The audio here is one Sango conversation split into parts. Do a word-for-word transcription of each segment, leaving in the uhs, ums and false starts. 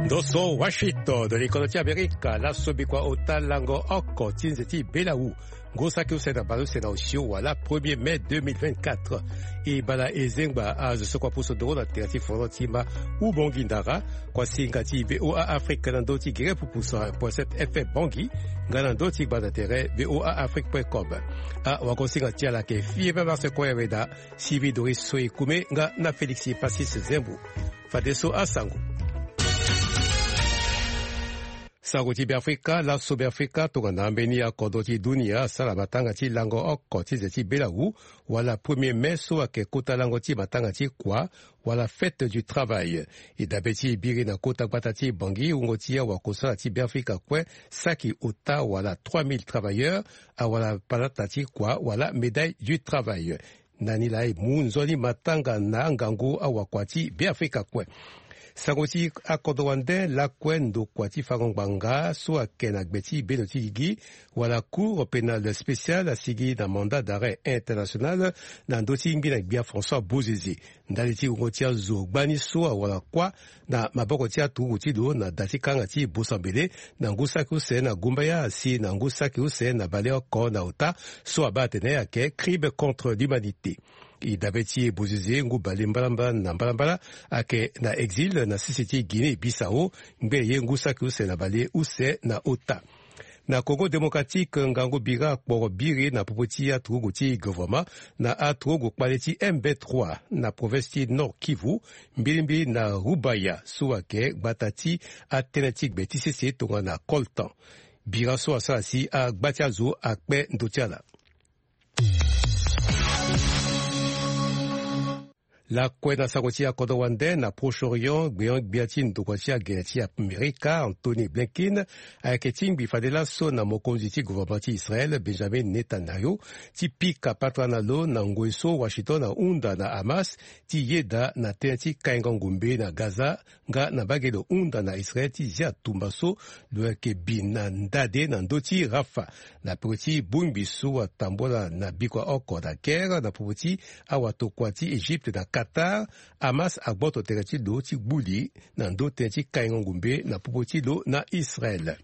Ndo so Washington, likono ti Amerika, laso bikua ota lango oko ti nze ti belawu. Ngu saki use na baleuse na osio wala premier mai deux mille vingt-quatre. E bala e zengba azo so kua pusu nduru na tere ti fono ti ma ubongi ndara, kua singa ti V O A Afrique na ndö ti gere pupusu point sept F M Bangui, nga na ndö ti gbanda tere V O A Afrique point com. Awagosinga ti ala ayeke fie pe marse kue weda, Sylvie Doris Soye Kume nga na Félix Passis Zembo. Fadeso asango. Sango ti Beafrika, laso Beafrika tongana ambeni akodro ti dunia asara matanga ti lango oko ti nze ti belawu, wala premier mai so ayeke kota lango ti matanga ti kua, wala fête du travail. E dabe ti e biri na kota gbata ti Bangui, wungo ti awakosala ti Beafrika kue saki ota wala trois mille travailleurs awara palata ti kua wala médaille du travail. Na ni laa e mu nzoni matanga na angangu awakua ti Beafrika kue. Sango ti akodro wande lakue ndokua ti fango ngbanga so ayeke na gbe ti bendo ti gigi, wala Cour pénale spéciale asigi na mandat d'arrêt international na ndö ti ngbi na gbia François Bozizé. Ndali ti wungo ti azo gbani so awara kuâ na maboko ti aturugu ti lo na da ti kanga ti Bosambele, na ngu saki use na Gumbaya si na ngu saki use na baleoko na ota, so abaa atene ayeke crime contre l'humanité. E dabe ti e Bozizé ngu bale mbalambala na mbalambala ayeke na exil na sese ti Guinée Bissau, ngbene ye ngu saki use na bale use na ota. Na Congo Démocratique, ngangu bira akporo biri na popo ti aturugu ti gouvernement na aturugu kpale ti M B trois na province ti Nord Kivu, mbilimbili na Rubaya so ayeke gbata ti atënë ti gbe ti sese tongana coltan. Bira so asara si agba ti azo akpe ndö ti ala. Lakue na sango ti akodro wande na Proche-Orient, gbeon-gbia ti ndokua ti agene ti Amerika, Antony Blinken, ayeke tingbi fade laso na mokonzi ti gouvernement ti Israël, Benjamin Netanyahu, ti pika patara na lo na ngoi so Washington ahunda na Hamas ti yeda na tënë ti kaingo ngombe na Gaza, nga na mbage lo hunda na Israël ti zia tumba so lo yeke bi na ndade na ndö ti Rafah. Na peko ti bongbi so atambula na bikua oko na guerre na popo ti awatokua ti Égypte na Qatar, Hamas agboto tere ti lo ti gbu li na ndö tënë ti kaingo ngombe na popo ti lo na Israël.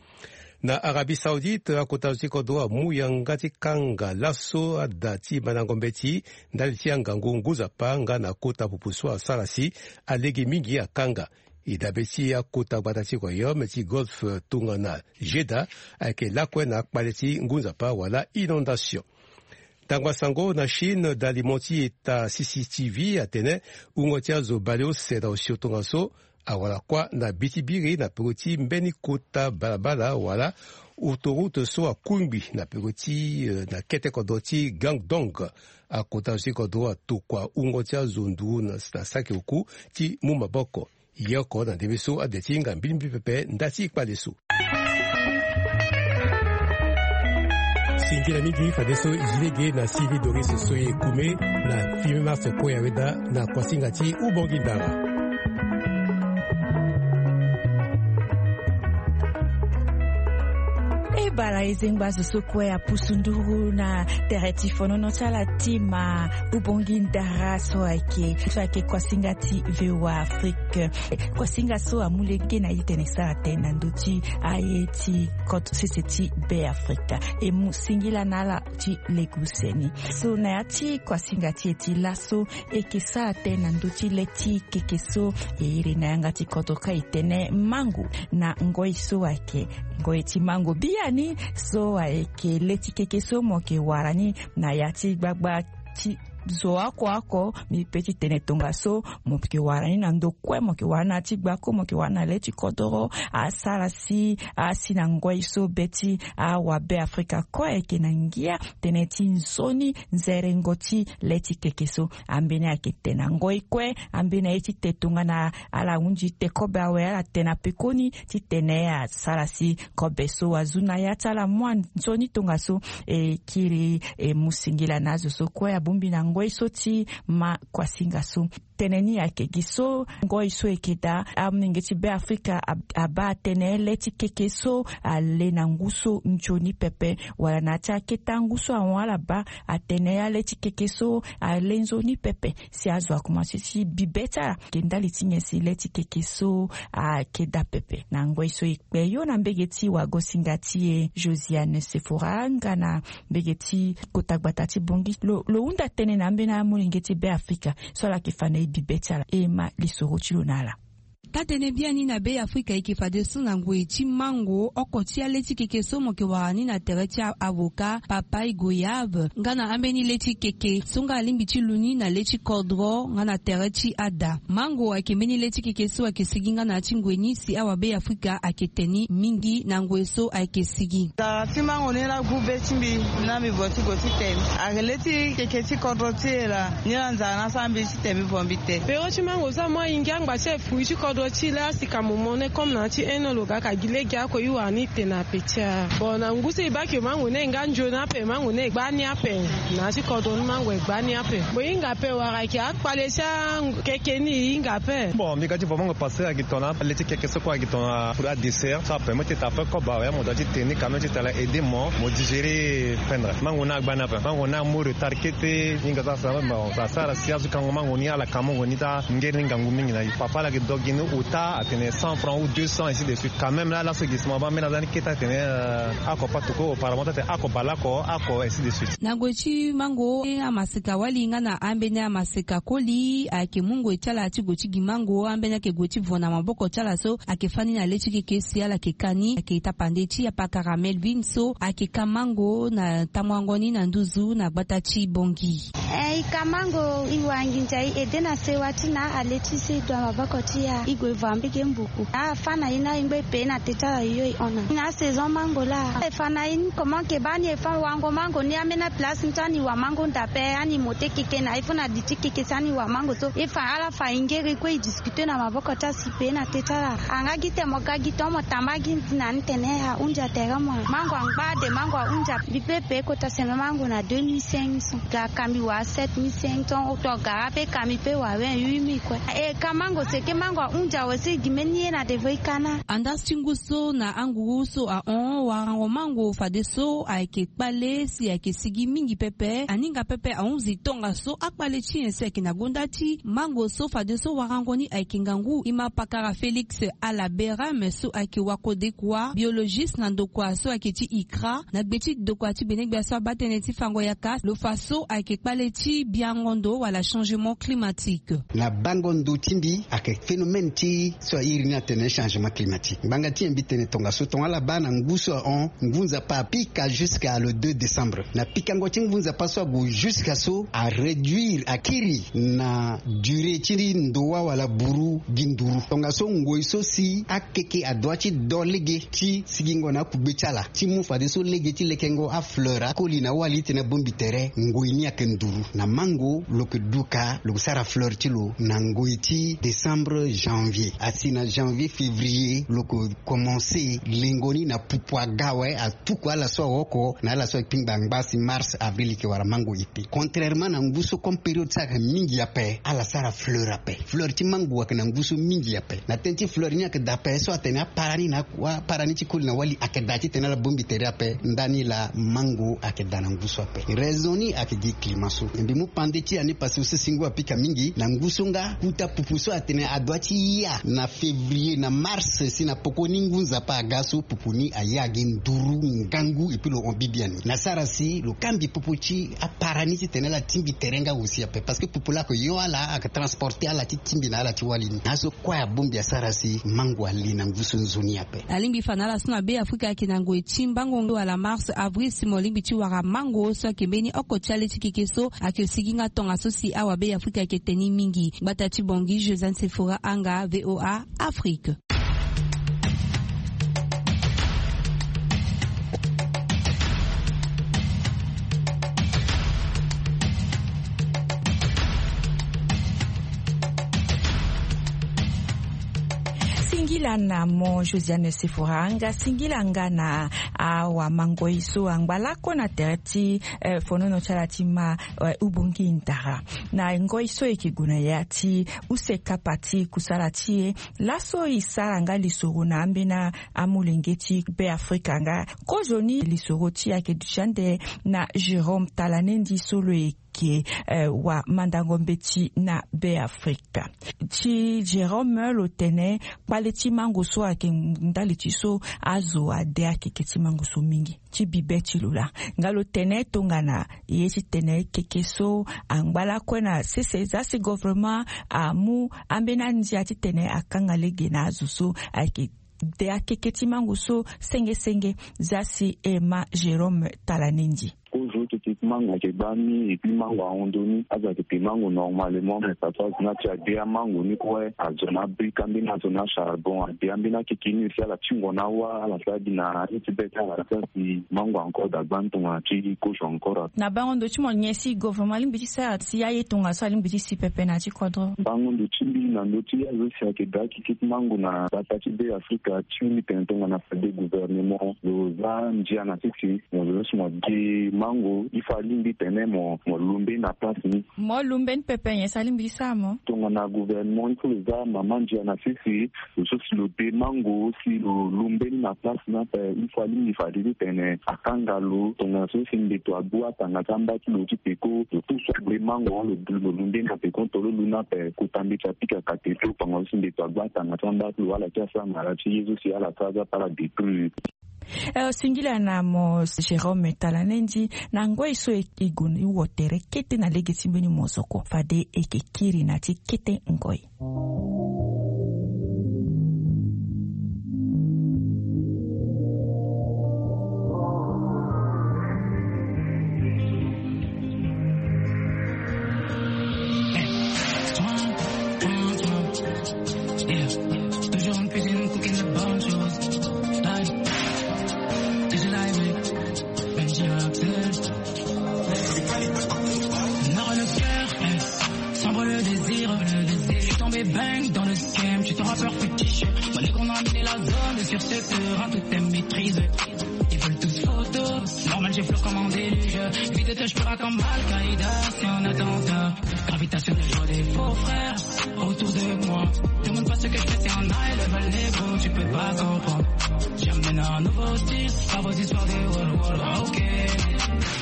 Na Arabie Saoudite, akota zo ti kodro amu yanga ti kanga laso ada ti mandango mbeti ndali ti angangu ngu nzapa nga na kota pupu so asara si alege mingi akanga. E dabe ti akota gbata ti royaume ti Golfe tongana Jeddah ayeke lakue na akpale ti ngu nzapa wala inondation. Tangba sango na Chine, dalimo ti eta C C T V atene wungo ti azo baleuse na osio tongaso awara kuâ na bi ti biri na peko ti mbeni kota balabala wala autoroute so akungbi na peko ti, eh, na kete kodro ti Guangdong. Akota zo ti kodro atokua wungo ti azo nduru na, na saki oku ti mu maboko. Ye oko na ndembe so ade ti hinga mbilimbili pepe nda ti kpale so. Singila mingi fadeso e zi lege na Sylvie Doris Soye Kume na Fimi Mars Koya Weda na kuasinga ti Ubongi Ndara. E bala e zengba zo so kue apusu nduru na tere ti fonono ti ala ti ma Ubongi Ndara so ayeke, so ayeke kuasinga ti V O A Afrique. Kuasinga so amu lege na e tene e sara tënë na ndö ti aye ti koto sese ti Be Afrika. E mu singila na ala ti lege use ni. So na ya ti kuasinga ti e ti laso, e yeke sara tënë na ndö ti le ti keke so e iri na yanga ti kodro ka e tene mango. Na ngoi so ayeke ngoi ti mango biani so ayeke le ti keke so mo yeke wara ni na ya ti gbagba ti zo oko oko. Mbi pe ti tene tongaso, mo yeke wara ni na ndo kue, mo yeke wara ni na ya ti gbako, mo yeke wara ni na le ti kodoro. Asara si asi na ngoi so be ti awabe Afrika kue ayeke na ngia tënë ti nzoni nzerengo ti le ti keke so. Ambeni ayeke te na ngoi kue, ambeni aye ti te tongana ala hunzi te kobe awe, ala te na pekoni titene asara si kobe so azu na ya ti ala mu anzoni tongaso. E kiri e mu singila na azo so kue abongbi na ngoi so ti ma kuasinga so. tënë ni ayeke gi so ngoi so e yeke daa amolenge ti Beafrika abaa atene le ti keke so ale na ngu so nzoni pepe, wala na ya ti akete ngu so ahon ala baa atene ale ti keke so ale nzoni pepe. Si azo akomanse ti bibe ti ala ayeke ndali ti nyen si le ti keke so ayeke daa pepe. Na ngoi so e kpe yo na mbege ti wagosinga ti e Josiane Sefora nga na mbege ti kota gbata ti Bongi, lo hunda tënë na ambeni amolenge ti Beafrika so ala yeke fa na e bibe ti ala. E ma lisoro ti lo na ala. Taa-tënë biani na Beafrika e yeke fadeso na ngoi ti mango oko ti ale ti keke so mo yeke wara ni na tere ti avocat, papaye, goyave nga na ambeni le ti keke so nga alingbi ti lu ni na le ti kodro nga na tere ti ada. Mango ayeke mbeni le ti keke so ayeke sigi nga na ya ti ngoi ni si awabe Afrika ayeke te ni mingi na ngoi so ayeke sigi. Nzara ti mango ni laa gu be ti mbi. Na mbi vo ti gue ti te ni, ayeke le ti keke ti kodro ti e laa. Ni laa nzara ni asara mbi ti te mbi vo mbi te. Pero ti mango so amu ahingi angba ti e, fruit ti kodro ti e laa si ka mo mo ne comme na ya ti un an lo ga ka gi lege oko e wara ni te na ape ti e. Bon, na ngu so e baa ke mango ni e nga nzoni ape, mango ni e gba ni ape. Na ya ti kodro ni mango e gba ni ape. Mo hinga ape wala ayeke akpale ti akeke ni e hinga ape. Bon, mbi ga ti vo mango pasteur ayeke tongana le ti keke so kue ayeke tongana fruit à dessert so apermet ti tene ape koba oya mo doit ti te ni quand même ti tala aider mo mo digérer. Pendre mango ni agba ni ape. Mango ni amu retard kete. Hinga so asara, bon, asara si azo kango mango ni ala ka mango ni taa ngeri ni ngangu mingi na e. Papa ala yeke do gi ni ota atene cent francs ou deux cents, ainsi de suite. Quand même laa laso gi si mo abaa mbeni aza ni kete atene, euh, oko patoko, auparavant atene oko baleoko, oko, ainsi de suite. Na ngoi ti mango, amaseka wali nga na ambeni amaseka koli ayeke mu ngoi ti ala ti gue ti gi mango. Ambeni ayeke gue ti vo na maboko ti ala so ayeke fâ ni na le ti keke si ala yeke ka ni. Ayeke tapande ti apakara Melvin so ayeke ka mango na tamuango ni na nduzu na gbata ti Bongi. Eh, e ka mango, e wara nginza, e aide na sewa ti na ale ti so e du na maboko ti e. E gue e vo ambege mbuku. Afâ na e na e ngba e pe na te ti ala yo e hon na. Na saison mango laa e fa na e ni comment ke baa ni e fa wango mango ni ambeni place ni so ani wa mango nda ape ani mo te keke na e fo na di ti keke so ani wa mango so e fa ala fa e ngere kue e discuter na maboko ti asi pe na te ti ala. Anga gi te mo ga gi ton mo tamba gi na ni tene ahunzi tere mo. Mango angba de mango ahunzi. Mbi pe pe kota seme mango na deux mille cinq cents. Ga kambi wa sept mille cinq cents, to gara pe kambi pe wa wen huit mille kue. E ka mango seke mango ahunzi awe si gi mbeni ye na devant e ka na. Andaa ti ngu so na anguru so ahon warango mango fadeso ayeke kpale si ayeke sigi mingi pepe. Aninga pepe ahunzi tongaso akpale ti nyen si ayeke na gonda ti mango so fadeso warango ni ayeke ngangu. E ma pakara Félix Alaberame so ayeke wakodekua, biologiste na ndokua so ayeke ti ICRA, na gbe ti ndokua ti gbenegbia so abaa tënë ti fango yaka lo fa so ayeke kpale ti biango ndo wala changement climatique. Na bango ndo ti mbi ayeke phénomène ti so a iri ni atene changement climatique. Ngbanga ti nyen mbi tene tongaso? Tongana ala baa na ngu so ahon, ngu nzapa apika jusqu'à le deux décembre. Na pikango ti ngu nzapa so ague jusqu'à so aréduire, akiri na durée ti ndo wala buru gi nduru. Tongaso ngoi so si akeke adoit ti do lege ti sigingo na akugbe ti ala ti mu fadeso lege ti lekengo afleur akoli na wali ti tene abongbi tere. Ngoi ni ayeke nduru. Na mango lo yeke duka, lo yeke sara fleur ti lo na ngoi ti décembre, janvier. Asi na janvier, février lo yeke commencer lengo ni na pupu aga awe, atuku ala so aoko na ala so akpingba angba si mars, avril e yeke wara mango e pe. Contrairement na ngu so comme période so ayeke mingi ape, ala sara fleur ape. Fleur ti mango ayeke na ngu so mingi ape. Na tënë ti fleur ni ayeke daa ape so atene apara ni na apara ni ti koli na wali ayeke daa titene ala bongbi tere ape. Ndani laa mango ayeke daa na ngu so ape. Raison ni ayeke gi climat so. Mbi mu pande ti ani parce que so si ngu apika mingi na ngu so nga kuta pupu so atene adoit ti ya na février na mars si na poko ni ngu nzapa aga so pupu ni aya gi nduru ngangu et puis lo hon bibiani. Na sara si lo kangbi pupu ti apara ni titene ala tingbi tere nga aussi ape parce que pupu laa ayeke yo ala, ayeke transporter ala ti tingbi na ala ti wali ni. Na so kue abongbi asara si mango ale na ngu so nzoni ape. Alingbi fa na ala so na Beafrika ayeke na ngoi ti mbango wala mars, avril si mo lingbi ti wara mango so ayeke mbeni oko ti ale ti keke so ayeke sigi nga tongaso si awabeafrika ayeke te ni mingi. Gbata ti Bangui, Josiane Sefora Anga, VOA Afrique. Singila. Singila na mo Josiane Sefora nga singila nga na awamangoi so angba lakue na tere ti fonono ti ala ti ma ubongi ndara. Na ngoi so e ke gue na ya ti use kapa ti kusala ti e laso e sara nga lisoro na ambeni amolenge ti Be Afrika nga kozoni lisoro ti ayeke duti ande na Jérôme Talanendi so lo yeke wamandango mbeti na Be Afrika. Ti Jérôme lo tene kpale ti mango so ayeke ndali ti so azo ade akeke ti mango so mingi ti bibe ti lo laa. Nga lo tene tongana ye ti tene keke so angba lakue na sese za si governement amu ambeni andia ti tene akanga lege na azo so ayeke de akeke ti mango so senge senge. Za si e ma Jérôme Talanendi. Kozo ti ti mango ayeke baa ni et puis mango ahon ndoni azo ayeke te mango normalement mais papa azo ni ati ade amango ni kue azo na abrika mbeni azo na acharbon ade ambeni akeke ni si ala tingo na awa ala sara gi na ye ti be ti ala sara si mango encore da gbani tongana ti kozo encore. Na bango ndo ti mo nyen si governement alingbi ti sara si aye tongana so alingbi ti si pepe na ya ti kodro. Bango ndo ti mbi na ndo ti azo si ayeke da akeke ti mango na bata ti be afrika ti mbi tene tongana fade gouvernement lo za ndia na sese mo zo so mo gi mango il faut alingbi tene mo mo lumbe na place ni. Mo lumbe ni pepe nyen si alingbi ti sara mo. Tongana gouvernement il faut lo za mama ndia na sese lo so si lo de mango si lo lumbe ni na place ni ape il faut alingbi fade ti tene akanga lo tongana so si mbeto agbu atanga ti amba ti lo ti peko lo pusu agbe mango lo lumbe ni na peko tolo lu ni ape kota mbeti apika kate so tongana so si mbeto agbu atanga ti amba ti lo ala ti asara mara ti ye so si ala sara ti ape ala détruire. Singila na mo Jérôme Talanendi na ngoi so e gue ni wo tere kete na lege ti mbeni mozoko fade e yeke kiri na ti kete ngoi. Bang dans le scam, tu te rappeurs fétiche. Moi les qu'on a amené la zone sur ce terrain tout est maîtrisé. Ils veulent tous photo. Normal j'ai fleur comme un déluge. Vite de toi je peux comme Al-Qaïda. C'est un attentat. Gravitationnel je vois des faux frères autour de moi. Demande pas ce que je fais c'est un high level négro. Tu peux pas comprendre. J'amène un nouveau style. Pas vos histoires de wall wall. Ok.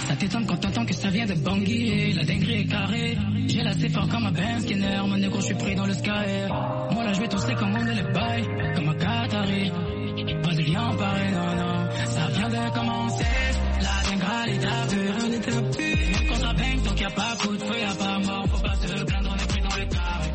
Ça t'étonne quand t'entends que ça vient de Bangui. La dinguerie est carrée. J'ai la C fort comme un Benz Skinner. Mon négro je suis pris dans le sky. Moi là je vais tousser comme on est les bails. Comme un Qatari. Pas de lien pareil non non. Ça vient de commencer. La dinguerie est à deux. Même quand ça bang donc y a pas coup de feu y a pas mort. Faut pas se plaindre on est pris dans le carré.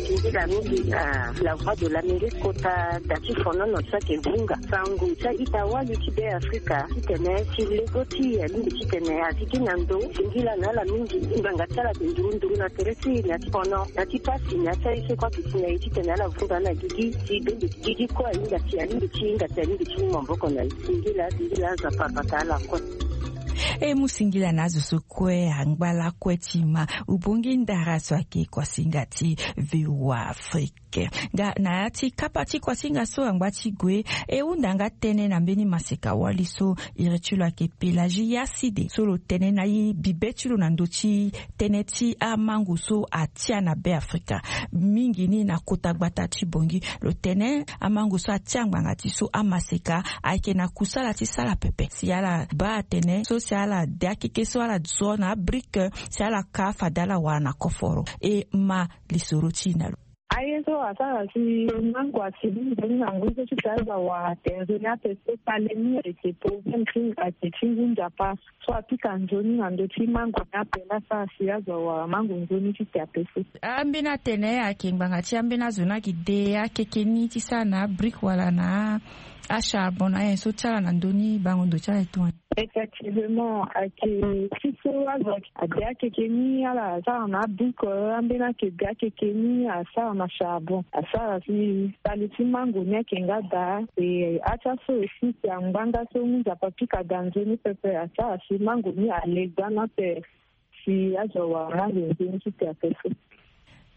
Singila mingi na la voix de l'Amérique kota da ti fonono ti ayeke vunga sango ti a-ita wali ti be afrika titene ti lego ti e alingbi titene azi gi na ndo. Singila na ala mingi ngbanga ti ala ayeke nduru nduru na tere ti e na ti fono na ti pasi na ya ti aye so kue ayeke si na e titene ala vunga ala gigi si bende ti gigi kue ahinga si alingbi ti hinga si alingbi ti mu maboko na e. Singila singila azo apara bata ala kue. E mu singila na azo so kue angba lakue ti ma ubongi ndara so ayeke kuasinga ti V O A Afrique. Nga na ya ti kapa ti kuasinga so angba ti gue e hunda nga tënë na mbeni maseka wali so iri ti lo ayeke Pélagie Yacide so lo tene na e bibe ti lo na ndö ti tënë ti amango so atia na Be Afrika mingi ni na kota gbata ti Bangui. Lo tene amango so atia ngbanga ti so amaseka ayeke na kusala ti sala pepe si ala baa atene so si ala de akeke so ala zo na abrique si ala ka fade ala wara na koforo. E ma lisoro ti e na lo. Aye so asara si mango asi mingi na ngoi so ti ta aza wara tere ni ape so kpale ni ayeke problème ti ayeke ti ngu nzapa so apika nzoni na ndö ti mango ni ape laa asara si azo awara mango nzoni ti te ape so. Ambeni atene ayeke ngbanga ti ambeni azo ni ayeke de akeke ni ti sara na abrique wala na acharbon na ayen so ti ala na ndö ni bango ndo ti ala e tongana. Effectivement ayeke ti so azo ade akeke ni ala asara na abrique ambeni ayeke de akeke ni asara na charbon asara si kpale ti mango ni ayeke nga daa. E atia so aussi si angba nga so ngu nzapa pika daa nzoni pepe asara si mango ni ale gbani ape si azo awara mango nzoni ti te ape so.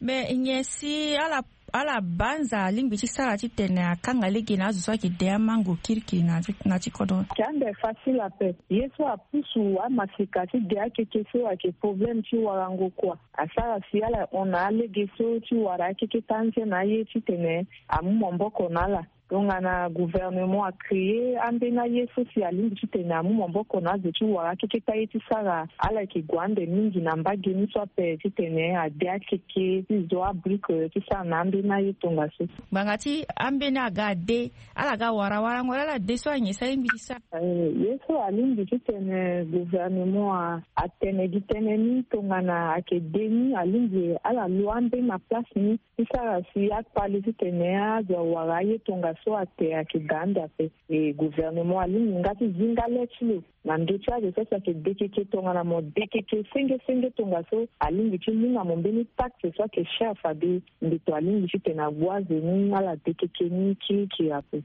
Mais nyen si ala ala banza alingbi ti sara titene akanga lege na azo so ayeke de amango kirikiri na ti kodro? Ande facile ape. Ye so apusu amaseka ti de akeke so ayeke problème ti warango kua. Asara si ala hon na alege so ti wara akeke ti anze na aye titene amu maboko na ala. Tongana gouvernement acréer ambeni aye so si alingbi titene amu maboko na azo ti wara akeke ti aye ti sara, ala yeke gue ande mingi na mbage ni so ape titene ade akeke ti zo abrique ti sara na ambeni aye tongaso. Ngbanga ti ambeni aga ade, ala ga wara warango laa ala de so anyen so alingbi ti sara? Ye so alingbi titene gouvernement atene gi tënë ni, tongana ayeke de ni alingbi ala lo ambeni na place ni ti sara si akpale titene azo awara aye tongaso ate ayeke da ande ape. E gouvernement alingbi nga ti zi nga le ti lo na ndö ti azo so si ayeke dekeke tongana mo dekeke senge senge tongaso alingbi ti mu na mo mbeni taxe so ayeke cher fade mbeto alingbi titene ague azo ni ala dekeke ni kirikiri ape.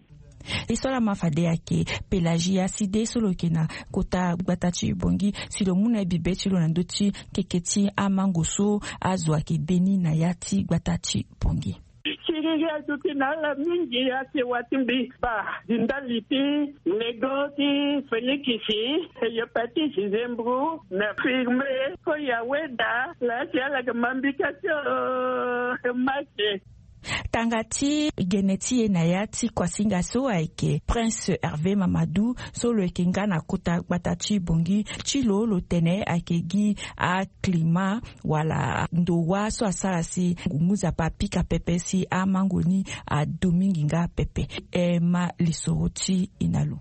Ye so laa ma fade ayeke Pelagie Aside so lo yeke na kota gbata ti Bangui si lo mu na ye bibe ti lo na ndö ti keke ti amango so azo ayeke de ni na ya ti gbata ti Bangui. Kiriri aduti na ala mingi ate wa ti mbi ba di ndali ti lego ti Félix, hépatite, zembro na firme. Koya weda laa si ala yeke ma mbika ti o mate. Tanga ti gene ti e na ya ti kuasinga so ayeke Prince Hervé Mamadou so lo yeke nga na kota gbata ti Bangui ti lo, lo tene ayeke gi aclimat wala ndo wâ so asara si ngu nzapa apika pepe si amango ni adu mingi nga pepe. E ma lisoro ti e na lo.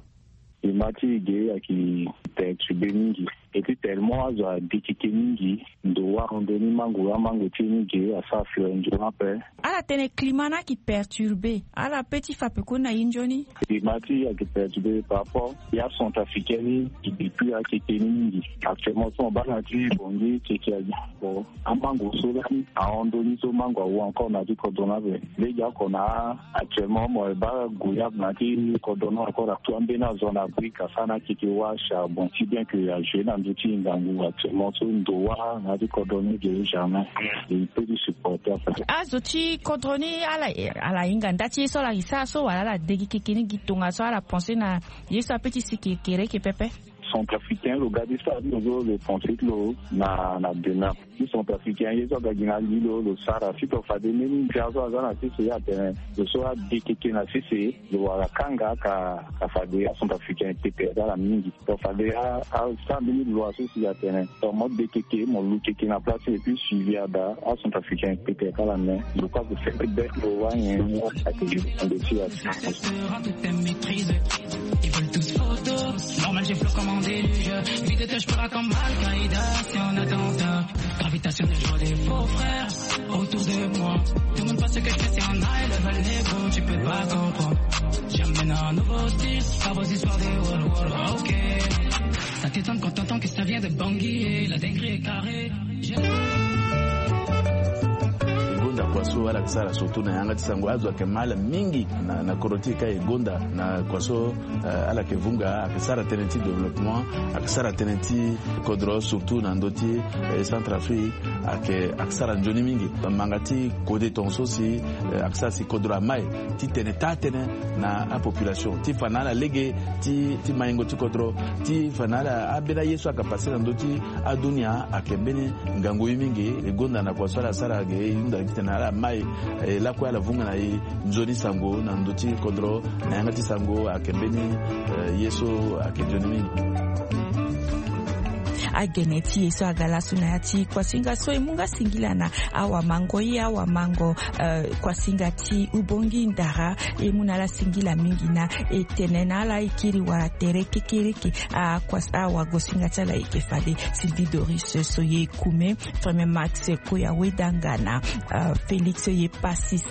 E ma ti e ge ayeke perturbé mingi. Et puis tellement azo adekeke mingi, ndo wâ ahon ndoni mango, amango ti e ni ge asara fleur nzoni ape. Ala tene climat ni ayeke perturbé, ala pe ti fa pekoni na e nzoni. Climat ti e ayeke perturbé par rapport ya centrafricain ni, depuis akeke ni mingi. Actuellement so mo baa na ti Bangui keke agi. Bon, amango so lani ahon ndoni so mango awu encore na ti kodro ni ape. Lege oko na actuellement mo baa goyave na ti kodro ni encore, tout ambeni azo na Afrique asara na keke wâ charbon, si bien que a joué na ndö ti ngangu actuellement so ndo wâ na ti kodro ni ge jamais. E peut ti supporter ape. Azo ti kodro ni ala, ala hinga nda ti ye so ala yeke sara so wala ala de gi keke ni gi tongaso ala pensé na ye so ape ti si kekereke pepe? Centrafricain lo ga ti sara ti lo so lo pensé ti lo na, na demeure. Ti centrafricain ye so aga gi na li lo, lo sara. Si to fade mbeni ndia so aza na sese ye atene lo so ade keke na sese, lo wara kanga ka, ka fade acentrafricain e pete asara mingi. To fade a, asara mbeni loi so si atene to mo de keke, mo lu keke na place et puis suivi ada, acentrafricain e pete kala. Mais lo kue ague fete bête lo wâ nyen ni ake ju ande ti ya. Ils veulent tous photo. Normal, j'ai flot comme un déluge. Vide, je pars comme Al-Qaïda si on attentat. Gravitationnel, je vois des faux frères autour de moi. Demande pas ce que je fais, c'est un high level, négro, tu peux pas comprendre. J'amène un nouveau style, pas vos histoires de wall wall, ok. Ça t'étonne quand t'entends que ça vient de Bangui, la dinguerie est carrée. Gonda kua so ala yeke sara surtout na yanga ti sango, azo ayeke ma ala mingi na, na kodro ti e ka e gonda na kua so, eh, ala yeke vunga, ayeke sara tënë ti développement, ayeke sara tënë ti kodro surtout na ndö ti, eh, Centrafrique, ayeke, ayeke sara nzoni mingi. Manga ti kode tongaso si, eh, ayeke sara si kodro amai titene taa tënë na apopulation ti fa na ala lege ti, ti maingo ti kodro, ti fa na ala ambeni aye so ayeke passé na ndö ti adunia ayeke mbeni ngangu ye mingi. E gonda na kua so ala sara ge e hunda titene ala mai, eh, lakue ala vunga na e nzoni sango na ndö ti kodro na yanga ti sango ayeke mbeni, eh, ye so ayeke nzoni mingi. Agene ti e so aga laso na ya ti kuasinga so e mu nga singila na awamango ye awamango, eh, kuasinga ti Ubongi Ndara, e mu na ala singila mingi na e tene na ala e kiri wala tere kekereke. Akuas, awagosinga ti ala e yeke fade Sylvie Doris Soye Kume, Freme Max Koya Wedanga na, eh, Félix Ye Passis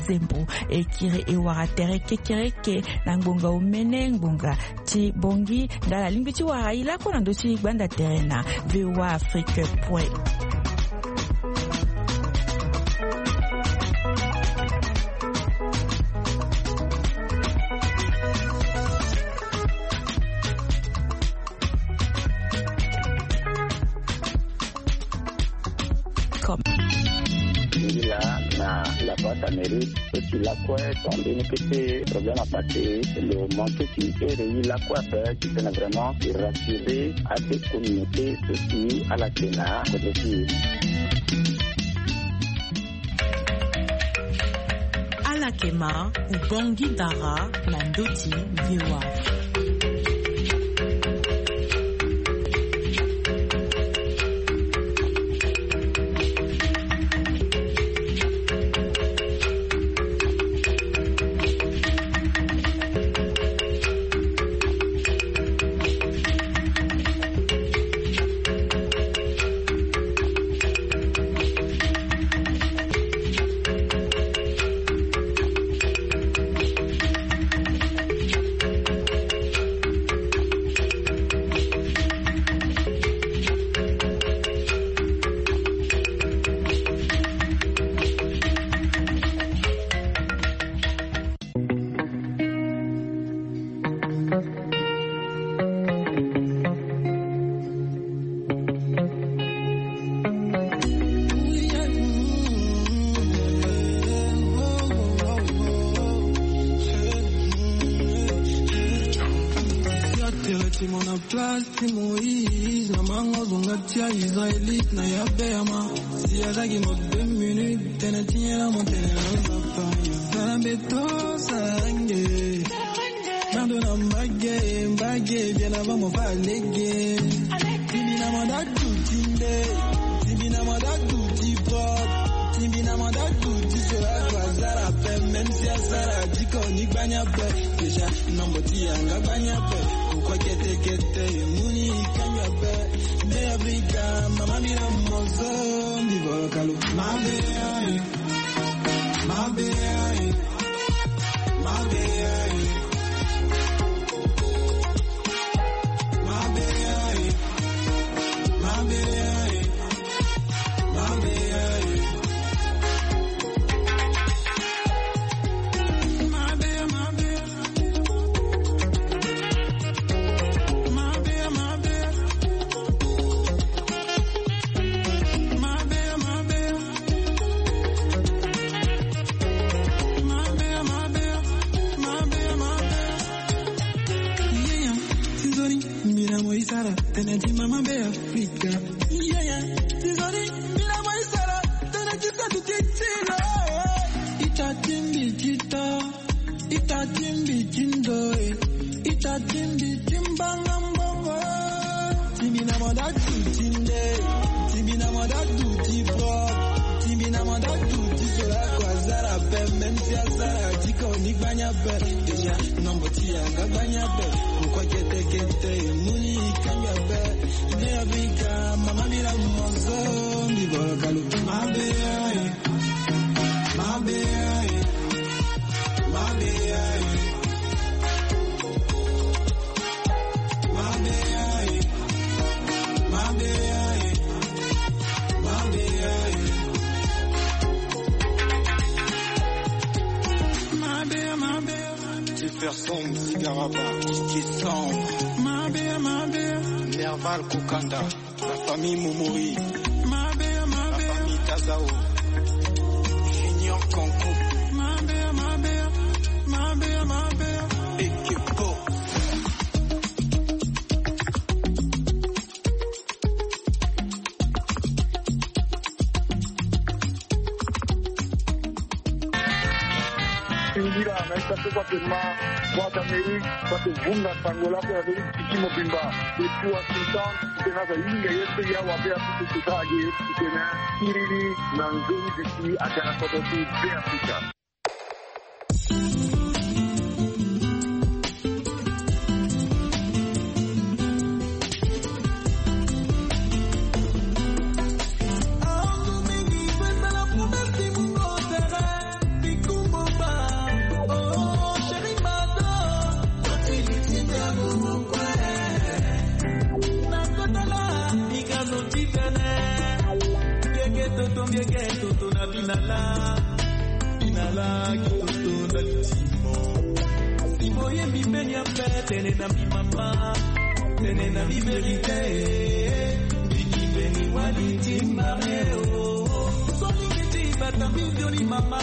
Zembo. E kiri e wara tere kekereke na ngbonga omene ngbonga ti Bongi. Nga ala lingbi ti wara e lakue na ndö ti gbanda tere na V O A Afrique point. Comme. Nzila Mairie so si lakue, tongana mbeni kete problème apassé, lo manqué ti ere ye lakue ape, titene vraiment e rassurer ade communauté so si ala yeke na kodro ti e. Ala yeke ma, Ubangui Dara na ndö ti V O A. Place ti Moïse na mango zonga ti Israélite na ya Berma. Si azalaki mo deux minutes, tene ti nyela mo tene na nzapa. Sala mbeto, sala nge. Nando na mbage, mbage, bien avant mo fa lege. Timbi na manda duti nde. Timbi na manda duti pot. Timbi na manda duti sera kwa zara pe. Même si azara diko ni gbanya pe. Déjà, nombo ti yanga gbanya pe. Pourquoi kete kete, muni kanya pe. Nde Afrika, mama mira mozo, mi bolo kalu. Mabe, aye. Mabe, aye. Mabe, aye. Mabe, aye. Mabe, aye. Mabe, aye. Mabe, mabe. Tene ti mama be Afrika. Yeah, yeah. Tizoni, mina mo isara, tene ti sa ti ti ti lo. Ita timbi tita, ita timbi tindo, eh. Ita timbi timbanga mbongo. Timbi na manda tu tinde, timbi na manda tu ti bo, timbi na manda tu ti sola kwa zara pe, même si azara ti ko ni gbanya pe. Déjà, nombo ti yanga gbanya pe. Pourquoi kete kete, muni kanga pe. Ne Afrika, mama mira mozo, mi bolo kalu. Mabe, aye. Mabe, aye. Mabe, aye. Mabe, aye. Mabe, aye. Mabe, aye. Mabe, mabe. Jefferson Zigaraba, Kiki Sound. Mabe, mabe. Nerval Kokanda. La famille Momori. Mabe, mabe. La famille Tazao. Junior Kanko. Mabe, mabe. Mabe, mabe. Ekepo. Singira na ita so kua ke ma, kua ti Amérique, kua ke vunga sango lako ya Amérique tiki mobimba. Depuis Washington, tena za yinga ye pe ya wa be Afrique, tena ye tena kiriri na nzoni bisi a gara kodo ti be Afrique. Toto na binala, binala kitoto na litimo. Si boyembi mbeni ape, tene na mbi mama, tene na mbi verite. Mbiki mbeni wali ti mbare o. Soki miti bata mbi nzoni mama.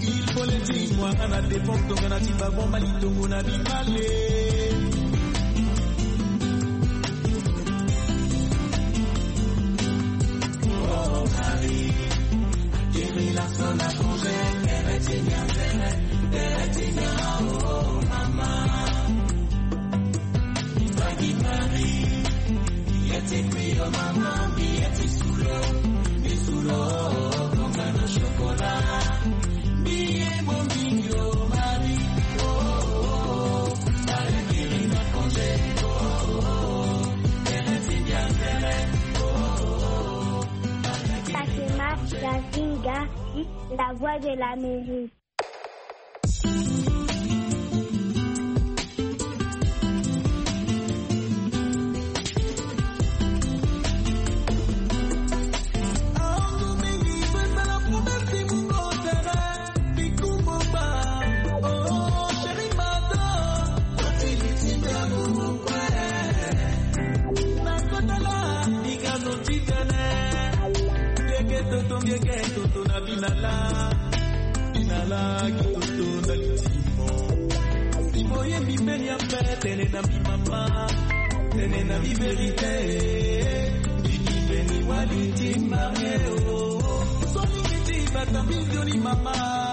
Il faut le dire, moi, à la défense, donc on a dit, bah, bon, Mali, donc on a dit, allez. Fatima Gazinga, la voix de l'Amérique. Toto na binala, binala kitoto na litimo. Simo ye mimeli ya mpe tene na mimama, tene na miverite. Bikibeni wali timbange o. Solingi ti bata mizoni mama.